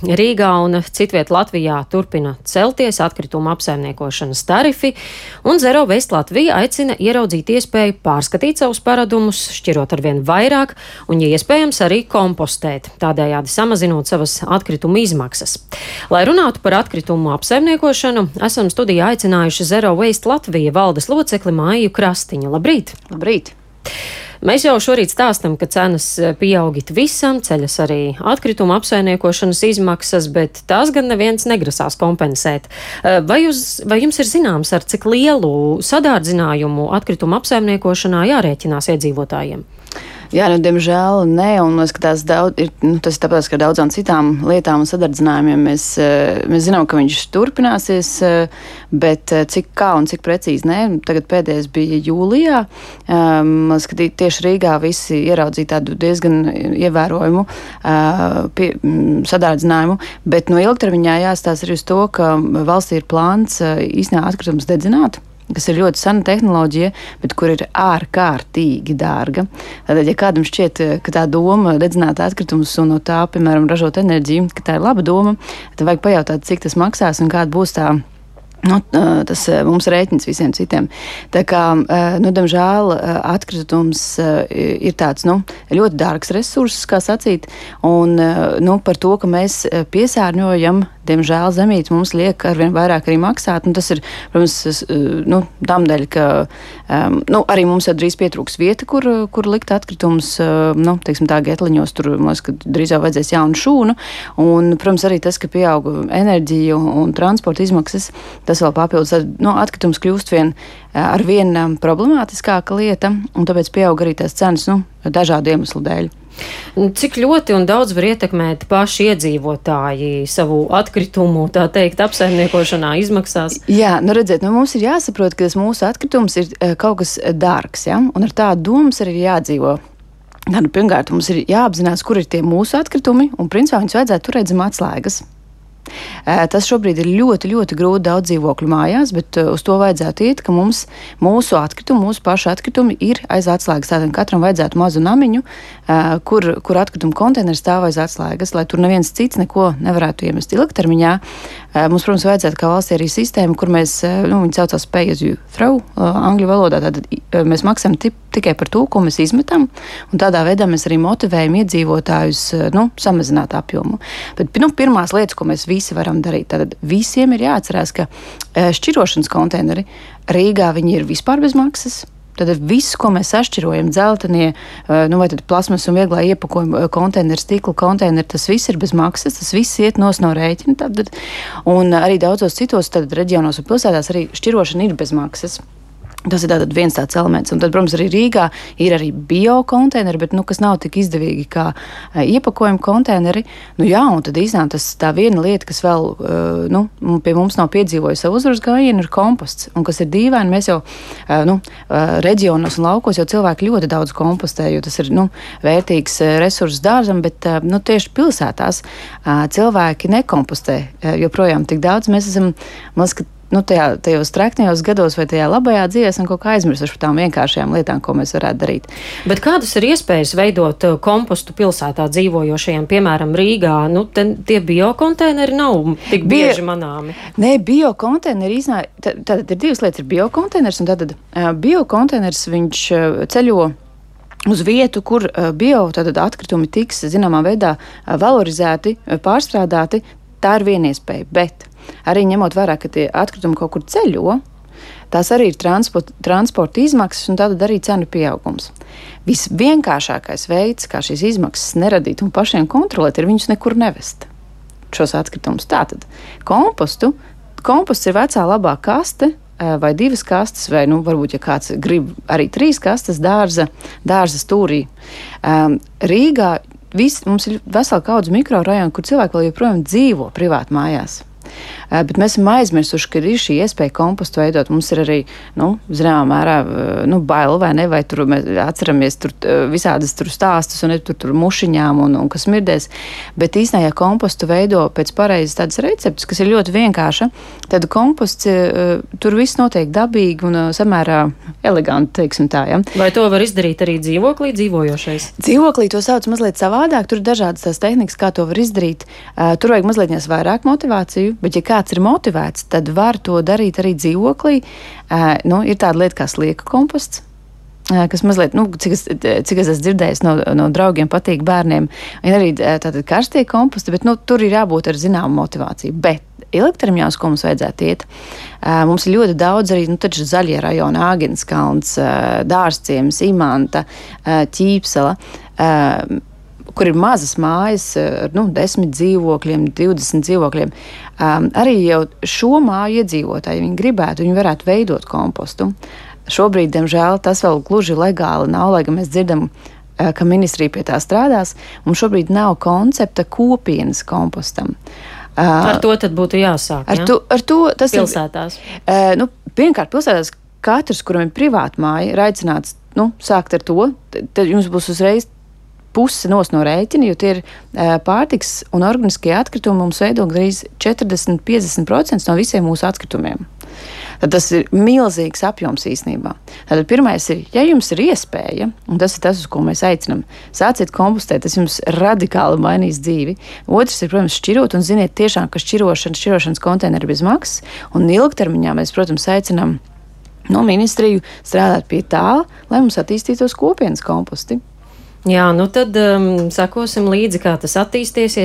Rīgā un citviet Latvijā turpina celties atkritumu apsaimniekošanas tarifi, un Zero Waste Latvija aicina ieraudzīt iespēju pārskatīt savus paradumus, šķirot arvien vairāk un, ja iespējams, arī kompostēt, tādējādi samazinot savas atkritumu izmaksas. Lai runātu par atkritumu apsaimniekošanu, esam studijā aicinājuši Zero Waste Latvija valdes locekli Maiju Krastiņu. Labrīt! Labrīt! Mēs jau šorīt stāstam, ka cenas pieaug it visam, ceļas arī atkritumu apsaimniekošanas izmaksas, bet tās gan neviens negrasās kompensēt. Vai jums ir zināms, ar cik lielu sadārdzinājumu atkritumu apsaimniekošanā jārēķinās iedzīvotājiem? Jā, diemžēl nē, un es skatās daudz, tas ir tāpēc, ka daudzām citām lietām un sadardzinājumiem mēs zinām, ka viņš turpināsies, bet kā un cik precīzi nē. Tagad pēdējais bija jūlijā. Tieši Rīgā visi ieraudzīja tādu diezgan ievērojumu sadārdzinājumu, bet no ilgtermiņā jāstāsta arī uz to, ka valstī ir plāns īstenībā atkritumus dedzināt, kas ir ļoti sena tehnoloģija, bet kur ir ārkārtīgi dārga. Tātad, ja kādam šķiet, ka tā doma dedzināt atkritumus un no tā, piemēram, ražot enerģiju, ka tā ir laba doma, tad vajag pajautāt, cik tas maksās un kāda būs tā. Tas mums rēķins visiem citiem. Tā kā, diemžēl, atkritums ir tāds, ļoti dārgs resurss, kā sacīt, un, par to, ka mēs piesārņojam, diemžēl, zemītes mums liek arvien vairāk arī maksāt, un tas ir, protams, tamdēļ, ka, arī mums jau drīz pietrūks vieta, kur likt atkritumus, teiksim tā, Getliņos, tur, mums, ka drīz jau vajadzēs jaunu šūnu, un, protams, arī tas, ka pieaug enerģija un transporta izmaksas, tas vēl papildus, atkritums kļūst ar vien problemātiskāka lieta, un tāpēc pieaug arī tās cenas, dažādu iemeslu dēļ. Cik ļoti un daudz var ietekmēt paši iedzīvotāji savu atkritumu, tā teikt, apsaimniekošanā izmaksās? Jā, redziet, mums ir jāsaprot, ka tas mūsu atkritums ir kaut kas dārgs, ja? Un ar tādu domas arī jādzīvo. Pirmkārt, mums ir jāapzinās, kur ir tie mūsu atkritumi, un principā viņus vajadzētu turēt zem atslēgas. Tas šobrīd ir ļoti, ļoti grūti daudz dzīvokļu mājās, bet uz to vajadzētu iet, ka mūsu atkritumi, mūsu pašu atkritumi ir aiz atslēgas. Tātad katram vajadzētu mazu namiņu, kur atkritumu konteineri stāv aiz atslēgas, lai tur neviens cits neko nevarētu iemest ilgtermiņā. Mums, protams, vajadzētu kā valstī arī sistēmu, kur mēs, viņi saucās pay as you throw, angļu valodā, tātad mēs maksājam tikai par to, ko mēs izmetam, un tādā veidā mēs arī motivējam iedzīvotājus, samazināt apjomu. Bet, pirmās lietas, ko mēs visi varam darīt, tātad visiem ir jāatcerās, ka šķirošanas konteineri Rīgā viņi ir vispār bez maksas. Tad viss, ko mēs sašķirojam, dzeltenie, vai tad plasmas un vieglā iepakojuma konteineri, stikla konteineri, tas viss ir bez maksas, tas viss iet no rēķina. Tad, un arī daudzos citos reģionos un pilsētās arī šķirošana ir bez maksas. Tas ir tātad viens tāds elements. Un tad, protams, arī Rīgā ir arī bio-konteineri, bet, kas nav tik izdevīgi kā iepakojuma konteineri. Un tad īstenībā tas tā viena lieta, kas vēl, pie mums nav piedzīvojusi savu uzvaras gājienu, ir komposts. Un kas ir dīvaini, mēs jau, reģionos un laukos jau cilvēki ļoti daudz kompostē, jo tas ir, vērtīgs resurss dārzam, bet, tieši pilsētās cilvēki nekompostē joprojām tik daudz. Mēs esam, tajos treknajos gados vai tajā labajā dzīvē esam kaut kā aizmirsuši par tām vienkāršajām lietām, ko mēs varētu darīt. Bet kādas ir iespējas veidot kompostu pilsētā dzīvojošajiem, piemēram, Rīgā? Tie biokonteineri nav tik bieži manāmi. Nē, biokonteineri tātad ir divas lietas. Ir biokonteiners, un tātad biokonteiners viņš ceļo uz vietu, kur atkritumi tiks zināmā veidā valorizēti, pārstrādāti. Tā ir viena iespēja, bet arī ņemot vērā, ka tie atkritumi kaut kur ceļo, tās arī ir transporta izmaksas un tātad arī cenu pieaugums. Visvienkāršākais veids, kā šīs izmaksas neradīt un pašiem kontrolēt, ir viņus nekur nevest, šos atkritumus. Tātad komposts ir vecā labā kaste vai 2 kastes, vai varbūt, ja kāds grib arī 3 kastes dārza stūrī. Rīgā mums ir vesela kaudze mikrorajonu, kur cilvēki vēl joprojām dzīvo privāti mājās. Bet mēs esam aizmirsuši, ka ir šī iespēja kompostu veidot. Mums ir arī, zināmā mērā, bail vai ne, vai tur mēs atceramies visādas stāstus un tur mušiņām un kas smirdēs. Bet īstenībā, ja kompostu veido pēc pareizes tādas receptes, kas ir ļoti vienkārša, tad komposts tur viss notiek dabīgi un samērā eleganti, teiksim tā. Ja? Vai to var izdarīt arī dzīvoklī dzīvojošais? Dzīvoklī to sauc mazliet savādāk. Tur ir dažādas tās tehnikas, kā to var izdarīt. Tur vajag mazliet vairāk motivāciju, bet ja kāds ir motivēts, tad var to darīt arī dzīvoklī. Ir tāda lieta kā slieka komposts, kas mazliet, cik es esmu dzirdējis no draugiem, patīk bērniem. Ir arī tātad karstie komposti, bet tur ir jābūt ar zināmu motivāciju. Bet ilgtermiņā, uz ko mums vajadzētu iet, mums ir ļoti daudz arī, taču zaļie rajoni, Āgenskalns, Dārzciems, Imanta, Ķīpsela, kur ir mazas mājas ar 10 dzīvokļiem, 20 dzīvokļiem. Arī jau šo māju iedzīvotāji, viņi gribētu, viņi varētu veidot kompostu. Šobrīd, diemžēl, tas vēl gluži legāli nav, lai gan mēs dzirdam, ka ministrija pie tā strādās. Mums šobrīd nav koncepta kopienas kompostam. Ar to tad būtu jāsāk, ar to tas pilsētās? Pirmkārt, pilsētās katrs, kuram ir privāta māja, ir aicināts sākt ar to. Tad jums būs uzreiz puse no rēķina, jo tie ir pārtiks un organiskie atkritumi mums veido gandrīz 40–50% no visiem mūsu atkritumiem. Tad tas ir milzīgs apjoms īstenībā. Tātad pirmais ir, ja jums ir iespēja, un tas ir tas, uz ko mēs aicinām, sāciet kompostēt, tas jums radikāli mainīs dzīvi. Otrs ir, protams, šķirot, un ziniet tiešām, ka šķirošanas konteineri bez maksas, un ilgtermiņā mēs, protams, aicinām ministriju strādāt pie tā, lai mums attīstītos kopienas komposti. Jā, tad sekosim līdzi, kā tas attīstīsies.